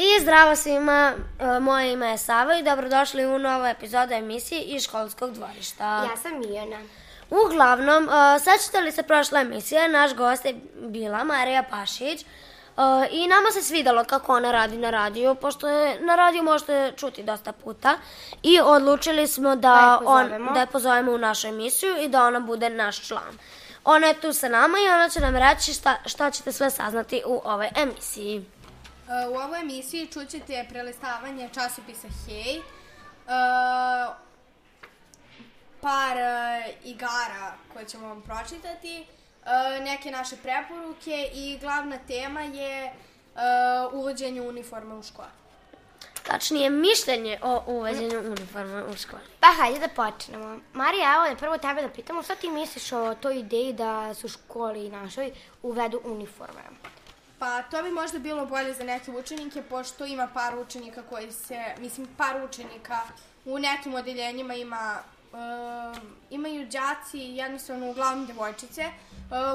I zdravo svima, moje ime je Sava i dobrodošli u novu epizodu emisije iz školskog dvorišta. Ja sam Mijana. Uglavnom, sećate li se prošle emisije, naš gost je bila Marija Pašić i nama se svidalo kako ona radi na radiju, pošto je na radiju možete čuti dosta puta i odlučili smo da je pozovemo u našu emisiju i da ona bude naš član. Ona je tu sa nama i ona će nam reći šta ćete sve saznati u ovoj emisiji. U ovoj emisiji čućete prelistavanje časopisa Hej, par igara koje ćemo vam pročitati, neke naše preporuke i glavna tema je uvođenje uniforme u školi. Tačnije, mišljenje o uvođenju uniforme u školi. Pa hajde da počnemo. Marija, evo je prvo tebe da pitamo, šta ti misliš o toj ideji da se u školi našoj uvedu uniforme? Pa to bi možda bilo bolje za neke učenike, pošto ima par učenika par učenika u nekim odeljenjima imaju đaci, jednostavno uglavnom devojčice,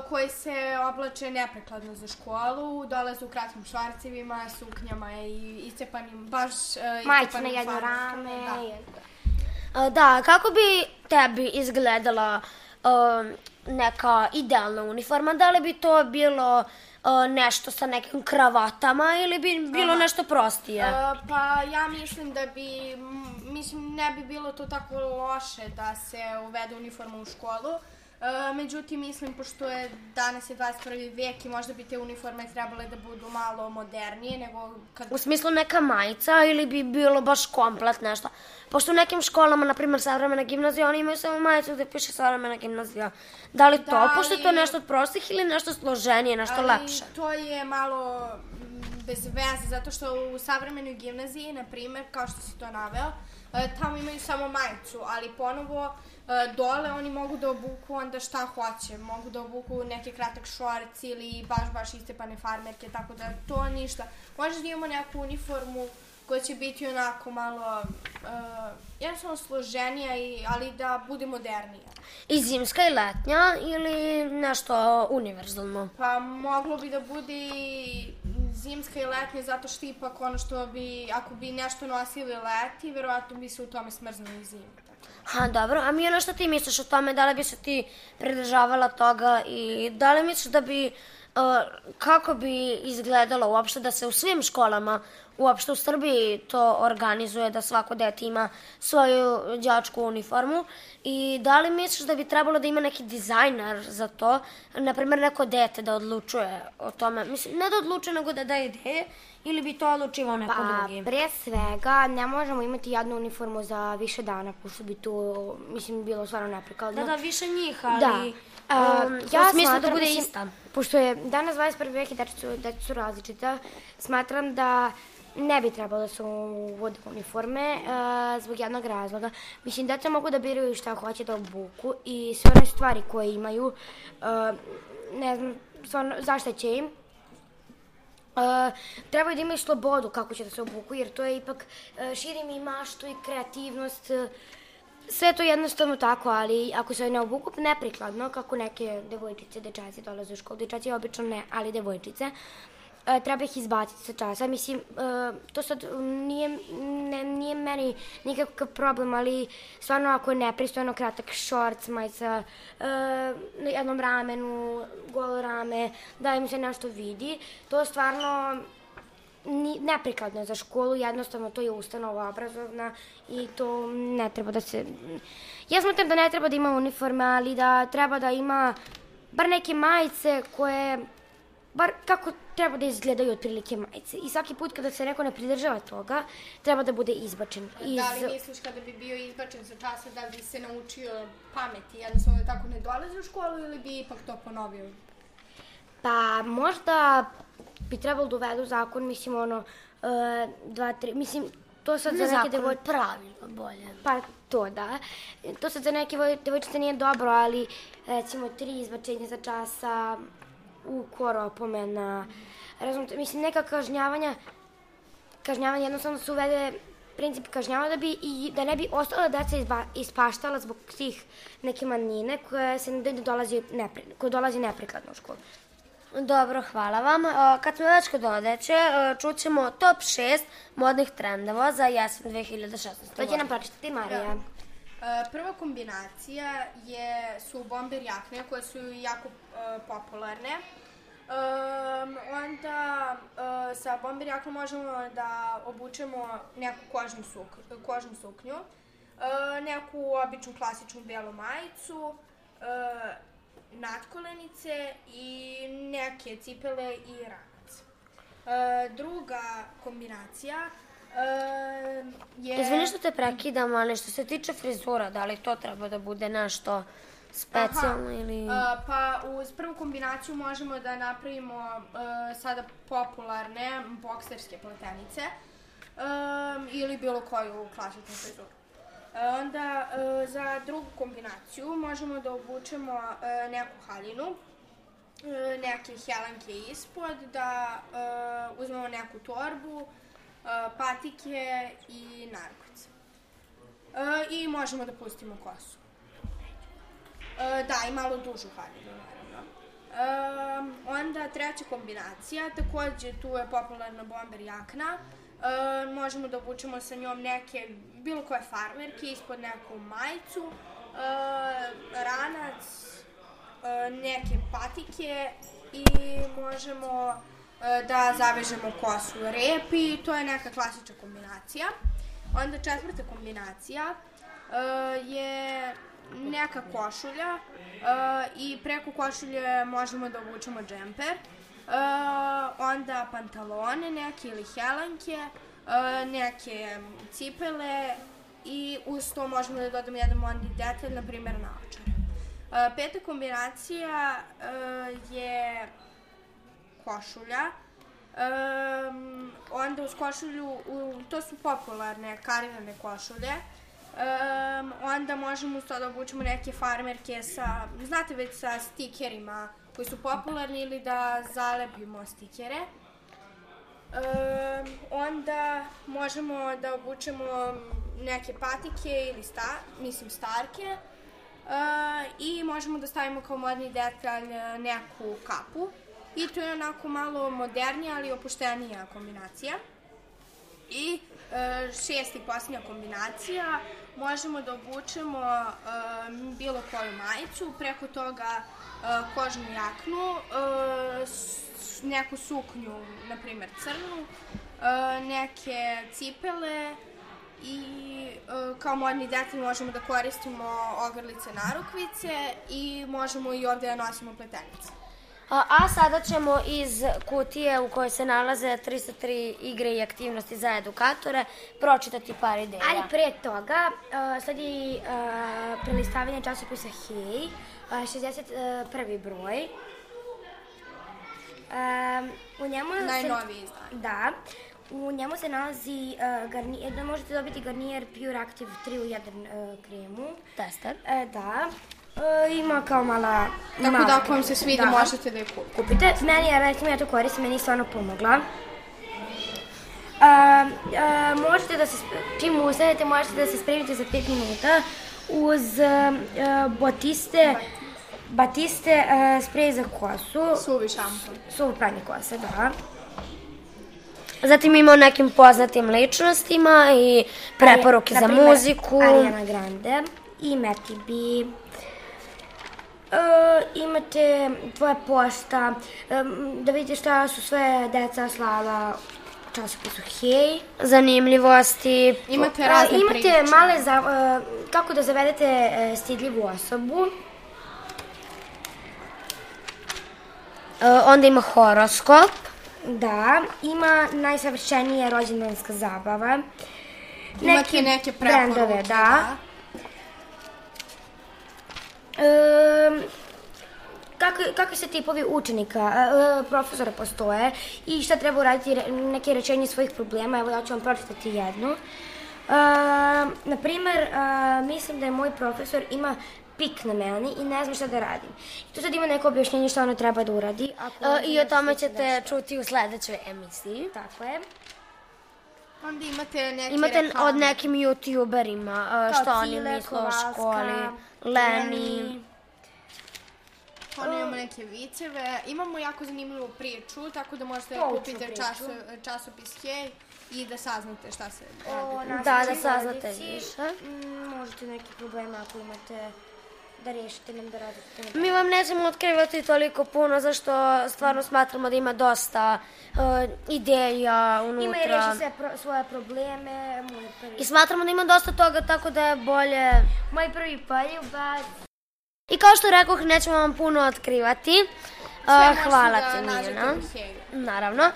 koji se oblače neprekladno za školu, dolaze u kratkim švarcevima, suknjama i iscepanim, baš majice na jedno rame. Da, kako bi tebi izgledala neka idealna uniforma? Da li bi to bilo nešto sa nekim kravatama ili bi bilo nešto prostije? Pa ja mislim da ne bi bilo to tako loše da se uvede uniforma u školu. Međutim, mislim, pošto je danas je 21. vek i možda bi te uniforme trebale da budu malo modernije nego kad... U smislu neka majica ili bi bilo baš komplet nešto? Pošto u nekim školama, na primjer savremena gimnazija, oni imaju samo majicu gde piše savremena gimnazija. Da li to, pošto je to nešto od prostih ili nešto složenije, nešto lepše? To je malo bez veze, zato što u savremenoj gimnaziji, na primjer, kao što si to naveo, tamo imaju samo majicu, ali ponovo dole oni mogu da obuku onda šta hoće. Mogu da obuku neke kratak šorc ili baš iscepane farmerke, tako da to ništa. Možda da imamo neku uniformu koja će biti onako malo jednostavno složenija, ali da bude modernija. I zimska i letnja ili nešto univerzalno? Pa moglo bi da bude i zimska i letnja, zato što ipak ono što bi, ako bi nešto nosili leti, verovatno bi se u tome smrznuli zime. Dobro, a Mijana, šta ti misliš o tome? Da li bi se ti pridržavala toga i da li misliš da bi, kako bi izgledalo uopšte da se u svim školama, uopšte u Srbiji to organizuje, da svako dete ima svoju đačku uniformu i da li misliš da bi trebalo da ima neki dizajner za to, naprimjer neko dete da odlučuje o tome, mislim, ne da odlučuje nego da daje ideje, ili bi to odlučivao neko drugi? Pa, pre svega, ne možemo imati jednu uniformu za više dana, pošto bi to, mislim, bilo stvarno neprikladno. Da, više njih, ali ja u smislu da bude ista. Pošto je danas 21. vek i deca su različita, smatram da ne bi trebalo da se uvode uniforme zbog jednog razloga. Mislim, deca mogu da biraju šta hoće da obuku i sve one stvari koje imaju, ne znam, stvarno, zašto će im. Trebaju da imaju slobodu kako će da se obuku, jer to je ipak širi mi maštu i kreativnost. Sve to jednostavno tako, ali ako se ne obuku neprikladno, kako neke devojčice, dečaci dolaze u školu, dečaci obično ne, ali devojčice, treba ih izbaciti sa časa. Mislim, to sad nije meni nikakav problem, ali stvarno ako je nepristojno kratak šorc, majica na jednom ramenu, golo rame, da im se nešto vidi, to stvarno neprikladno je za školu, jednostavno to je ustanova obrazovna i to ne treba da se... Ja smatram da ne treba da ima uniforme, ali da treba da ima bar neke majice koje... bar kako treba da izgledaju otprilike majice. I svaki put kada se neko ne pridržava toga, treba da bude izbačen. Da li misliš kada bi bio izbačen sa časa da bi se naučio pameti, jednostavno da tako ne dolazi u školu ili bi ipak to ponovio? Pa možda bi trebalo da uvedu zakon, mislim, 2, 3, mislim, to sad za neke devojčice... pravila bolje. Pa to, da. To sad za neke devojčice nije dobro, ali recimo 3 izbačenja za časa, ukor, opomena, razumite, mislim, neka kažnjavanja jednostavno se uvede princip kažnjava da ne bi ostala deca ispaštala zbog tih neke manjine koje dolazi neprikladno u školu. Dobro, hvala vam. Kad smo već kod odeće, čućemo top 6 modnih trendova za jesen 2016. To će nam pročitati Marija. Prva kombinacija su bomber jakne koje su jako popularne. Onda sa bomber jaknom možemo da obučemo neku kožnu suknju, neku običnu klasičnu belu majicu, natkolenice i neke cipele i ranac. Druga kombinacija je... Izvini što te prekidam, ali što se tiče frizura, da li to treba da bude nešto specijalno ili... Pa uz prvu kombinaciju možemo da napravimo sada popularne bokserske pletenice ili bilo koju klasičnu frizuru. Onda za drugu kombinaciju možemo da obučemo neku haljinu, neke helanke ispod, da uzmemo neku torbu, patike i narukvice. I možemo da pustimo kosu. Da, i malo dužu haljinu, naravno. Onda treća kombinacija, takođe tu je popularna bomber jakna. Možemo da obučemo sa njom neke, bilo koje farmerke, ispod neku majicu, ranac, neke patike i možemo da zavežemo kosu u rep i to je neka klasična kombinacija. Onda četvrta kombinacija je neka košulja i preko košulje možemo da obučemo džemper. Onda pantalone neke ili helanke, neke cipele i uz to možemo da dodamo jedan modni detalj, na primjer naočare. Peta kombinacija je košulja. Onda uz košulju, to su popularne karirane košulje. Onda možemo uz to da obučemo neke farmerke znate već sa stikerima koji su popularni ili da zalepimo stikere. Onda možemo da obučemo neke patike ili starke i možemo da stavimo kao modni detalj neku kapu. I to je onako malo modernija, ali opuštenija kombinacija. I šesta i posljednja kombinacija, možemo da obučemo bilo koju majicu, preko toga kožnu jaknu, neku suknju, na primjer crnu, neke cipele i kao modni detalj možemo da koristimo ogrlice narukvice i možemo i ovde da nosimo pletenice. A sada ćemo iz kutije u kojoj se nalaze 303 igre i aktivnosti za edukatore pročitati par ideja. Ali pre toga, sad je prelistavanje časopisa Hej, 61. broj. Najnoviji izdan. Da. U njemu se nalazi garnijer, možete dobiti garnijer Pure Active 3 u 1 kremu. Tester. Da. Ima kao mala... Tako da ako vam se svidi možete da je kupite. Meni je, recimo, ja to koristim, meni je stvarno pomogla. Možete da se, čim ustanete, možete da se spremite za 5 minuta uz Batiste sprej za kosu. Suvi šampon. Suvo pranje kose, da. Zatim ima o nekim poznatim ličnostima i preporuke za muziku. Ariana Grande i Matty B. Imate tvoja pošta, da vidite šta su sve deca slala u časopisu Hej. Zanimljivosti. Imate razne priče. Imate male, kako da zavedete stidljivu osobu. Onda ima horoskop. Da, ima najsavršenije rođendanska zabava. Imate neke preporuke, da. Kakvi se tipovi učenika, profesora postoje i šta treba uraditi, neke rečenje svojih problema, evo ja ću vam pročitati jednu. Naprimer, mislim da je moj profesor ima pik na meni i ne znam šta da radim. I tu sad ima neko objašnjenje šta ona treba da uradi. I o tome ćete čuti u sledećoj emisiji. Tako je. Onda imate neke reklame. Od nekim youtuberima, što oni misle o školi. Leni. Stvarno imamo neke viceve. Imamo jako zanimljivu priču, tako da možete kupiti časopis Hej i da saznate šta se radi. Da saznate više. Možete neke probleme ako imate da rešite nam da radite. Mi vam nećemo otkrivati toliko puno, zašto stvarno smatramo da ima dosta ideja unutra. Ima i reši sve svoje probleme. I smatramo da ima dosta toga, tako da je bolje... Moj prvi poljubac. I kao što rekoh, nećemo vam puno otkrivati. Hvala ti, Mijana. Naravno.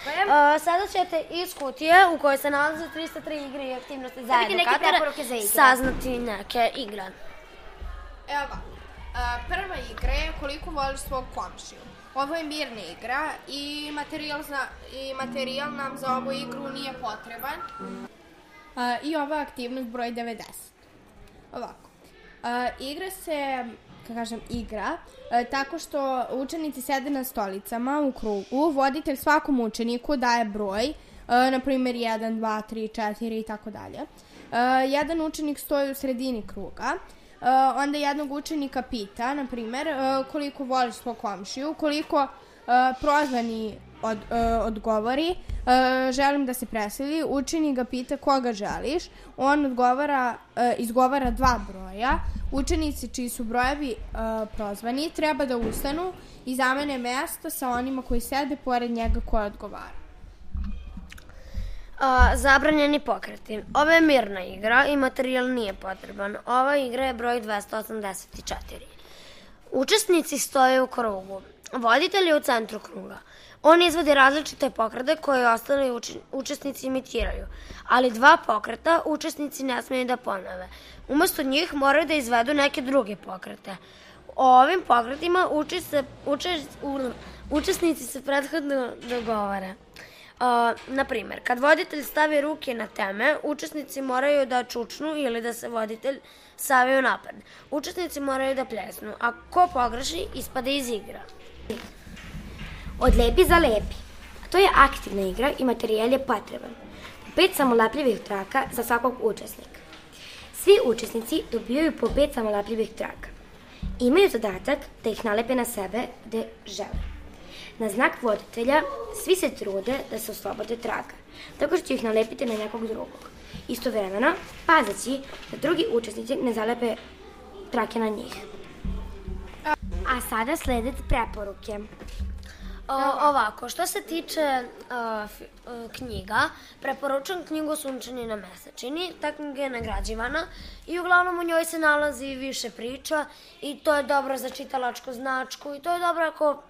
Sada ćete iz kutije u kojoj se nalaze 303 igre i aktivnosti za edukatora saznati neke igre. Evo ovako, prva igra je koliko voliš svog komšiju. Ovo je mirna igra i materijal nam za ovu igru nije potreban. I ova je aktivnost broj 90. Ovako, igra se, tako što učenici sede na stolicama u krugu, voditelj svakom učeniku daje broj, na primjer 1, 2, 3, 4 i tako dalje. Jedan učenik stoji u sredini kruga, onda jednog učenika pita, na primjer, koliko voliš svog komšiju, koliko prozvani odgovori, želim da se preseli, učenik ga pita koga želiš, on izgovara 2 broja, učenici čiji su brojevi prozvani treba da ustanu i zamene mesta sa onima koji sede pored njega koji odgovara. Zabranjeni pokreti. Ovo je mirna igra i materijal nije potreban. Ova igra je broj 284. Učesnici stoje u krugu. Voditelj je u centru kruga. On izvodi različite pokrete koje ostali učesnici imitiraju, ali 2 pokreta učesnici ne smiju da ponove. Umesto njih moraju da izvedu neke druge pokrete. O ovim pokretima učesnici se prethodno dogovore. Na primjer, kad voditelj stavi ruke na teme, učesnici moraju da čučnu ili da se voditelj stavi u napred. Učesnici moraju da pljesnu, a ko pogreši, ispada iz igra. Od lepi za lepi. To je aktivna igra i materijal je potreban. 5 samolepljivih traka za svakog učesnika. Svi učesnici dobijaju po 5 samolepljivih traka. Imaju zadatak da ih nalepe na sebe gde žele. Na znak voditelja svi se trude da se oslobode traka, tako što će ih nalepiti na nekog drugog. Istovremeno, pazeći da drugi učesnici ne zalepe trake na njih. A sada slede preporuke. Ovako, što se tiče knjiga, preporučujem knjigu Sunčani na mesečini. Ta knjiga je nagrađivana i uglavnom u njoj se nalazi više priča i to je dobro za čitalačku značku i to je dobro ako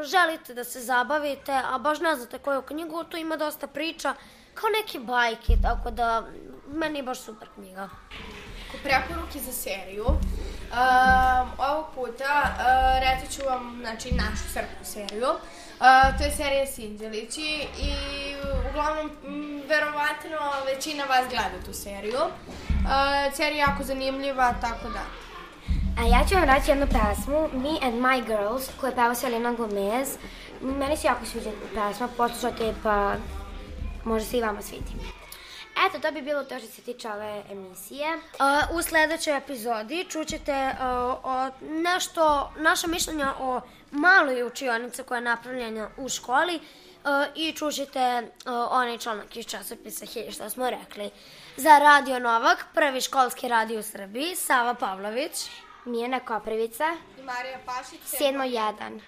želite da se zabavite, a baš ne znate koju knjigu, tu ima dosta priča, kao neke bajke, tako da meni je baš super knjiga. Preporuke za seriju. Ovog puta reći ću vam našu srpsku seriju. To je serija Sinđelići i uglavnom verovatno većina vas gleda tu seriju. Serija je jako zanimljiva, tako da. A ja ću vam reći jednu pesmu, Me and My Girls, koju je peva Selena Gomez. Meni se jako sviđa pesma, poslušajte pa možda se i vama svidi. Eto, to bi bilo to što se tiče ove emisije. U sledećoj epizodi čućete naša mišljenja o maloj učionici koja je napravljena u školi i čućete onaj članak iz časopisa Hej, što smo rekli. Za Radio Novak, prvi školski radio u Srbiji, Sava Pavlović, Mijana Koprivica i Marija Pašić, 7.1.